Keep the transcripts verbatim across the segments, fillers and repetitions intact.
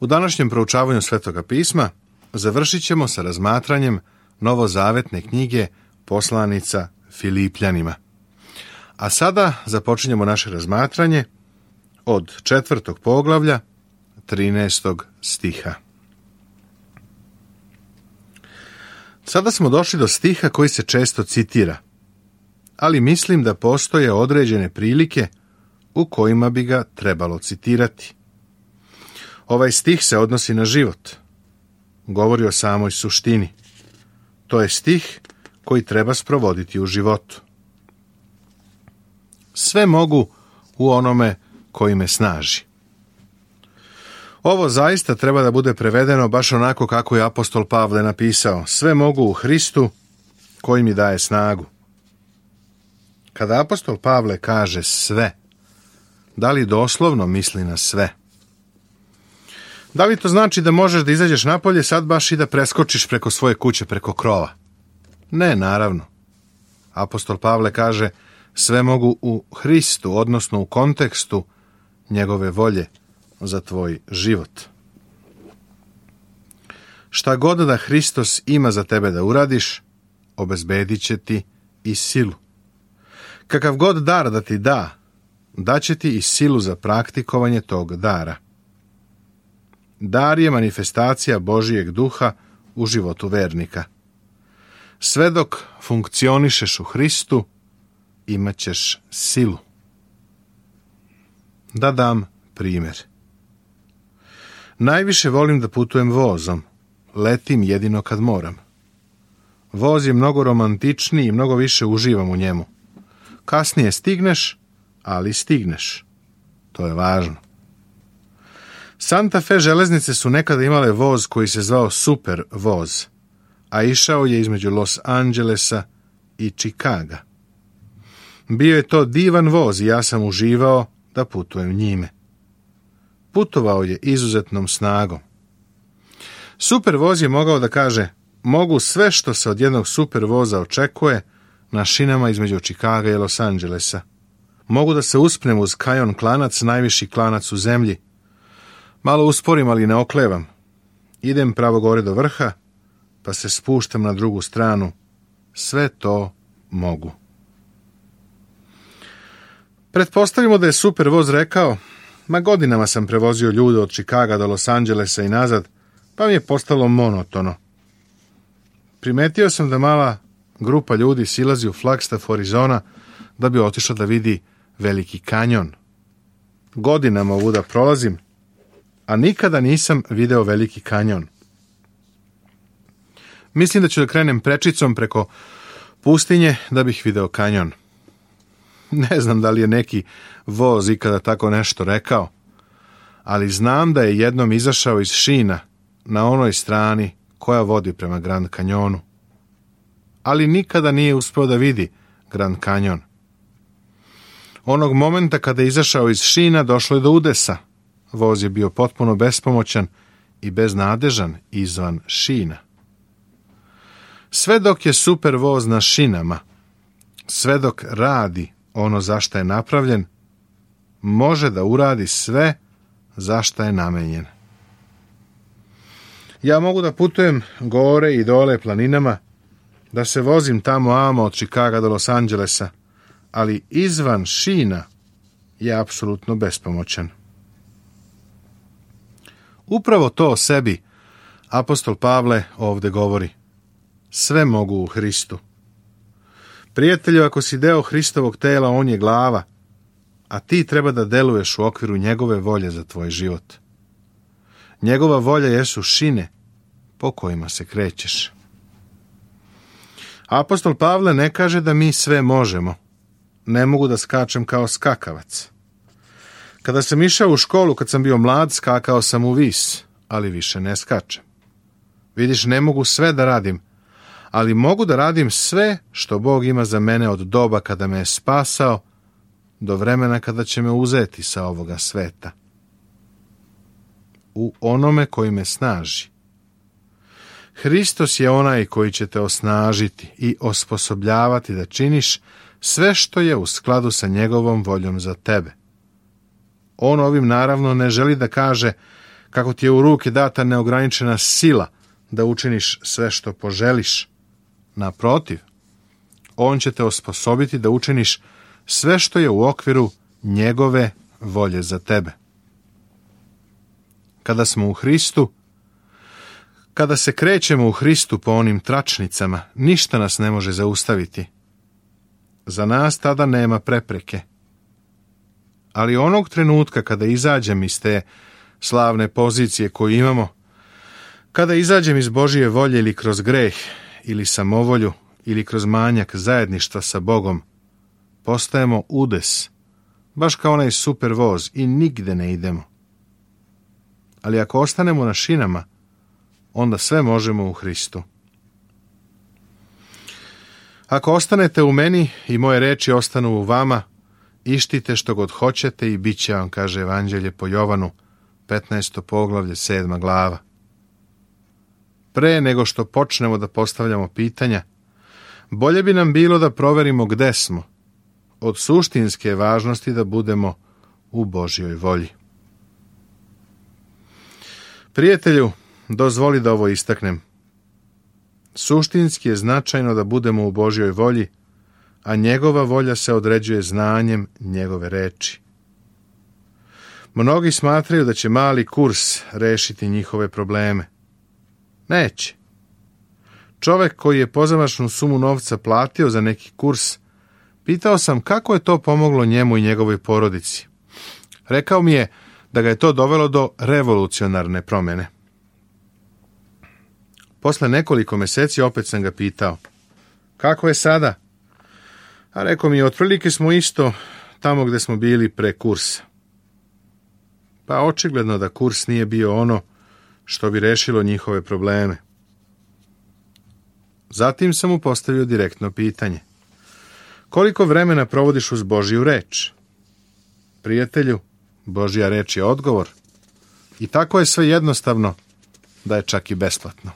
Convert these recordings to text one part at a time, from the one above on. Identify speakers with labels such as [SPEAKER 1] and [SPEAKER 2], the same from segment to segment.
[SPEAKER 1] U današnjem proučavanju Svetoga pisma završit ćemo sa razmatranjem novozavetne knjige Poslanica Filipljanima. A sada započinjemo naše razmatranje od četvrtog poglavlja, trinaestog stiha. Sada smo došli do stiha koji se često citira, ali mislim da postoje određene prilike u kojima bi ga trebalo citirati. Ovaj stih se odnosi na život. Govori o samoj suštini. To je stih koji treba sprovoditi u životu. Sve mogu u onome koji me snaži. Ovo zaista treba da bude prevedeno baš onako kako je apostol Pavle napisao. Sve mogu u Hristu koji mi daje snagu. Kada apostol Pavle kaže sve, da li doslovno misli na sve? Da li to znači da možeš da izađeš napolje sad baš i da preskočiš preko svoje kuće, preko krova? Ne, naravno. Apostol Pavle kaže sve mogu u Hristu, odnosno u kontekstu njegove volje za tvoj život. Šta god da Hristos ima za tebe da uradiš, obezbedit će ti i silu. Kakav god dar da ti da, daće ti i silu za praktikovanje tog dara. Dar je manifestacija Božijeg duha u životu vernika. Sve dok funkcionišeš u Hristu, imat ćeš silu. Da dam primjer. Najviše volim da putujem vozom. Letim jedino kad moram. Voz je mnogo romantičniji i mnogo više uživam u njemu. Kasnije stigneš, ali stigneš. To je važno. Santa Fe železnice su nekada imale voz koji se zvao Super voz, a išao je između Los Angelesa i Čikaga. Bio je to divan voz i ja sam uživao da putujem njime. Putovao je izuzetnom snagom. Super voz je mogao da kaže, mogu sve što se od jednog super voza očekuje na šinama između Čikaga i Los Angelesa. Mogu da se uspnem uz Kajon klanac, najviši klanac u zemlji. Malo usporim, ali ne oklevam. Idem pravo gore do vrha, pa se spuštam na drugu stranu. Sve to mogu. Pretpostavimo da je super voz rekao, ma godinama sam prevozio ljude od Čikaga do Los Angelesa i nazad, pa mi je postalo monotono. Primetio sam da mala grupa ljudi silazi u Flagstaff, Arizona, da bi otišla da vidi Veliki kanjon. Godinama ovuda prolazim, a nikada nisam video Veliki kanjon. Mislim da ću da krenem prečicom preko pustinje da bih video kanjon. Ne znam da li je neki voz ikada tako nešto rekao, ali znam da je jednom izašao iz šina na onoj strani koja vodi prema Grand kanjonu. Ali nikada nije uspeo da vidi Grand kanjon. Onog momenta kada je izašao iz šina došlo je do udesa. Voz je bio potpuno bespomoćan i beznadežan izvan šina. Sve dok je super voz na šinama, sve dok radi ono za šta je napravljen, može da uradi sve za šta je namenjen. Ja mogu da putujem gore i dole planinama, da se vozim tamo amo od Čikaga do Los Angelesa, ali izvan šina je apsolutno bespomoćan. Upravo to o sebi apostol Pavle ovdje govori. Sve mogu u Hristu. Prijatelju, ako si deo Hristovog tela, on je glava, a ti treba da deluješ u okviru njegove volje za tvoj život. Njegova volja jesu šine po kojima se krećeš. Apostol Pavle ne kaže da mi sve možemo. Ne mogu da skačem kao skakavac. Kada sam išao u školu, kad sam bio mlad, skakao sam u vis, ali više ne skačem. Vidiš, ne mogu sve da radim, ali mogu da radim sve što Bog ima za mene od doba kada me je spasao do vremena kada će me uzeti sa ovoga sveta. U onome koji me snaži. Hristos je onaj koji će te osnažiti i osposobljavati da činiš sve što je u skladu sa njegovom voljom za tebe. On ovim naravno ne želi da kaže kako ti je u ruke data neograničena sila da učiniš sve što poželiš. Naprotiv, on će te osposobiti da učiniš sve što je u okviru njegove volje za tebe. Kada smo u Hristu, kada se krećemo u Hristu po onim tračnicama, ništa nas ne može zaustaviti. Za nas tada nema prepreke. Ali onog trenutka kada izađem iz te slavne pozicije koju imamo, kada izađem iz Božije volje ili kroz greh, ili samovolju, ili kroz manjak zajedništva sa Bogom, postajemo udes, baš kao onaj super voz i nigde ne idemo. Ali ako ostanemo na šinama, onda sve možemo u Hristu. Ako ostanete u meni i moje reči ostanu u vama, ištite što god hoćete i bit će vam, kaže Evanđelje po Jovanu, petnaesto poglavlje, sedma glava. Pre nego što počnemo da postavljamo pitanja, bolje bi nam bilo da proverimo gde smo. Od suštinske važnosti da budemo u Božjoj volji. Prijatelju, dozvoli da ovo istaknem. Suštinski je značajno da budemo u Božjoj volji, a njegova volja se određuje znanjem njegove reči. Mnogi smatraju da će mali kurs rešiti njihove probleme. Neće. Čovek koji je pozamašnu sumu novca platio za neki kurs, pitao sam kako je to pomoglo njemu i njegovoj porodici. Rekao mi je da ga je to dovelo do revolucionarne promjene. Posle nekoliko meseci opet sam ga pitao, kako je sada? A rekao mi, otprilike smo isto tamo gde smo bili pre kursa. Pa očigledno da kurs nije bio ono što bi rešilo njihove probleme. Zatim sam mu postavio direktno pitanje. Koliko vremena provodiš uz Božju reč? Prijatelju, Božja reč je odgovor. I tako je sve jednostavno da je čak i besplatno.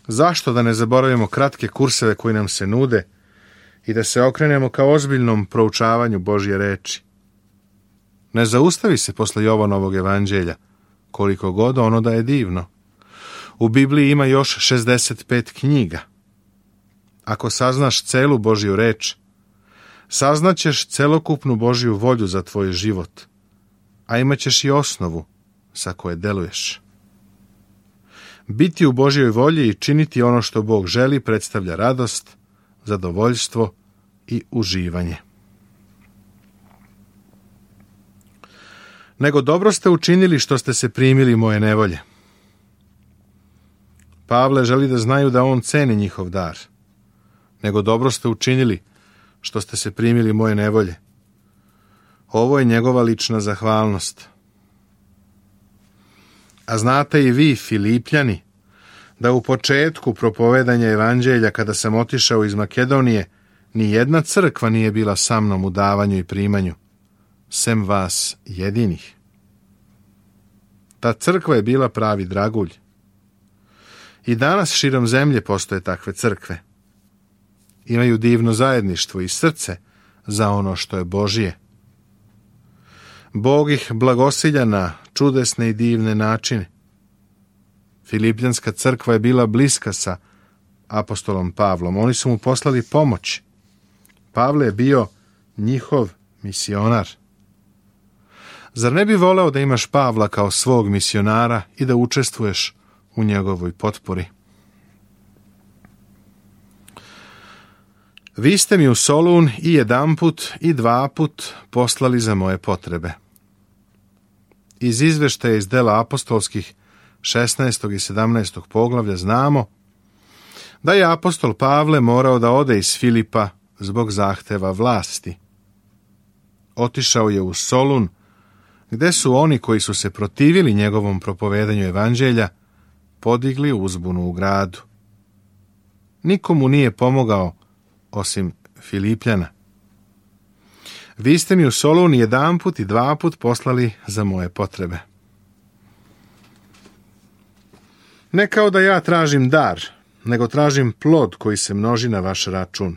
[SPEAKER 1] Zašto da ne zaboravimo kratke kurseve koji nam se nude i da se okrenemo ka ozbiljnom proučavanju Božje reči? Ne zaustavi se posle Jovanovog evanđelja, koliko god ono da je divno. U Bibliji ima još šezdeset pet knjiga. Ako saznaš celu Božju reč, saznaćeš celokupnu Božju volju za tvoj život, a imaćeš i osnovu sa koje deluješ. Biti u Božjoj volji i činiti ono što Bog želi predstavlja radost, zadovoljstvo i uživanje. Nego dobro ste učinili što ste se primili moje nevolje. Pavle želi da znaju da on ceni njihov dar. Nego dobro ste učinili što ste se primili moje nevolje. Ovo je njegova lična zahvalnost. A znate i vi, Filipljani, da u početku propovedanja evanđelja, kada sam otišao iz Makedonije, ni jedna crkva nije bila sa mnom u davanju i primanju, sem vas jedinih. Ta crkva je bila pravi dragulj. I danas širom zemlje postoje takve crkve. Imaju divno zajedništvo i srce za ono što je Božije. Bog ih blagosilja na čudesne i divne načine. Filipljanska crkva je bila bliska sa apostolom Pavlom. Oni su mu poslali pomoć. Pavle je bio njihov misionar. Zar ne bi voleo da imaš Pavla kao svog misionara i da učestvuješ u njegovoj potpori? Vi ste mi u Solun i jedanput i dva put poslali za moje potrebe. Iz izveštaja iz dela apostolskih šesnaestog i sedamnaestog poglavlja znamo da je apostol Pavle morao da ode iz Filipa zbog zahteva vlasti. Otišao je u Solun, gde su oni koji su se protivili njegovom propovedanju evanđelja podigli uzbunu u gradu. Nikomu nije pomogao osim Filipljana. Vi ste mi u Solun jedanput i dva put poslali za moje potrebe. Ne kao da ja tražim dar, nego tražim plod koji se množi na vaš račun.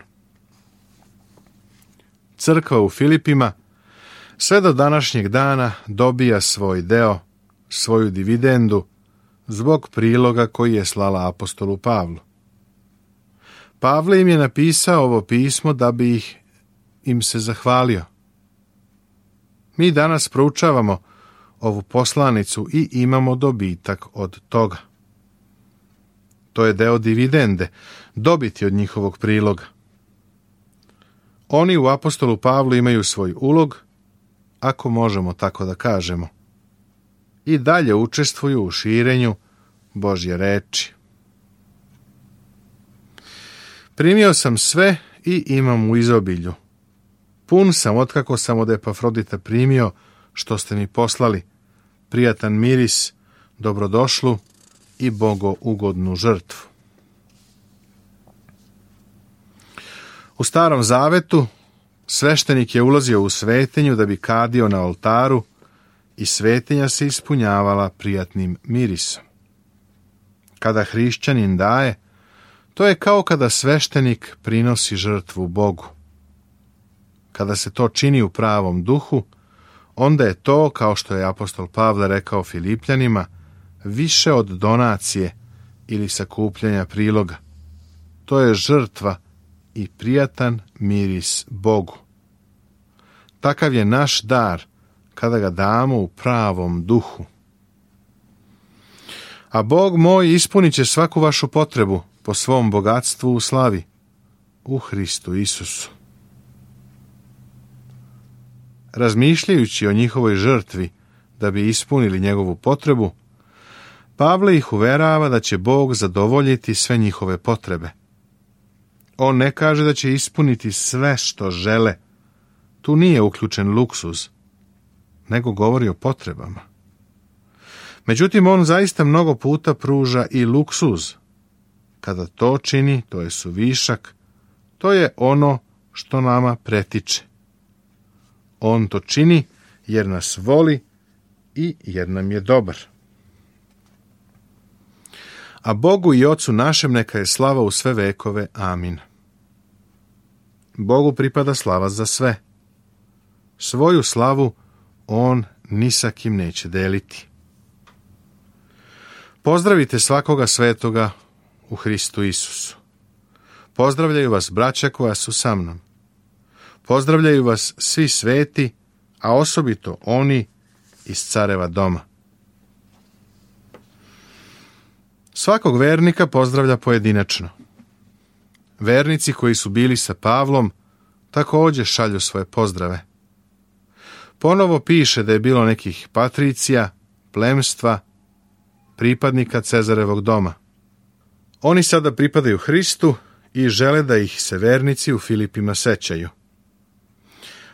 [SPEAKER 1] Crkva u Filipima sve do današnjeg dana dobija svoj deo svoju dividendu zbog priloga koji je slala apostolu Pavlu. Pavle im je napisao ovo pismo da bi ih im se zahvalio. Mi danas proučavamo ovu poslanicu i imamo dobitak od toga. To je deo dividende, dobiti od njihovog priloga. Oni u apostolu Pavlu imaju svoj ulog, ako možemo tako da kažemo, i dalje učestvuju u širenju Božje reči. Primio sam sve i imam u izobilju. Pun sam otkako sam od Epafrodita primio što ste mi poslali, prijatan miris, dobrodošlu i bogougodnu žrtvu. U Starom zavetu sveštenik je ulazio u svetinju da bi kadio na oltaru i svetinja se ispunjavala prijatnim mirisom. Kada hrišćanin daje, to je kao kada sveštenik prinosi žrtvu Bogu. Kada se to čini u pravom duhu, onda je to, kao što je apostol Pavle rekao Filipljanima, više od donacije ili sakupljanja priloga. To je žrtva i prijatan miris Bogu. Takav je naš dar kada ga damo u pravom duhu. A Bog moj ispunit će svaku vašu potrebu po svom bogatstvu u slavi u Hristu Isusu. Razmišljajući o njihovoj žrtvi da bi ispunili njegovu potrebu, Pavle ih uverava da će Bog zadovoljiti sve njihove potrebe. On ne kaže da će ispuniti sve što žele. Tu nije uključen luksuz, nego govori o potrebama. Međutim, on zaista mnogo puta pruža i luksuz. Kada to čini, to je suvišak, to je ono što nama pretiče. On to čini jer nas voli i jer nam je dobar. A Bogu i Ocu našem neka je slava u sve vekove. Amin. Bogu pripada slava za sve. Svoju slavu on ni sa kim neće deliti. Pozdravite svakoga svetoga u Hristu Isusu. Pozdravljaju vas braća koja su sa mnom. Pozdravljaju vas svi sveti, a osobito oni iz careva doma. Svakog vernika pozdravlja pojedinačno. Vernici koji su bili sa Pavlom također šalju svoje pozdrave. Ponovo piše da je bilo nekih patricija, plemstva, pripadnika Cezarevog doma. Oni sada pripadaju Hristu i žele da ih se vernici u Filipima sećaju.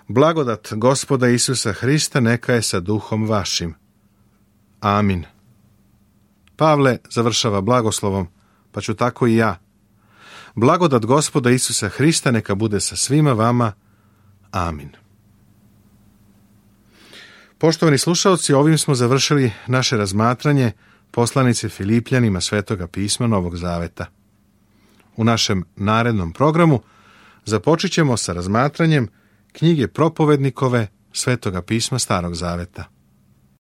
[SPEAKER 1] Blagodat Gospoda Isusa Hrista neka je sa duhom vašim. Amin. Pavle završava blagoslovom, pa ću tako i ja. Blagodat Gospoda Isusa Hrista neka bude sa svima vama. Amin. Poštovani slušalci, ovim smo završili naše razmatranje poslanice Filipljanima Svetoga pisma Novog Zaveta. U našem narednom programu započet ćemo sa razmatranjem knjige propovednikove Svetoga pisma Starog Zaveta.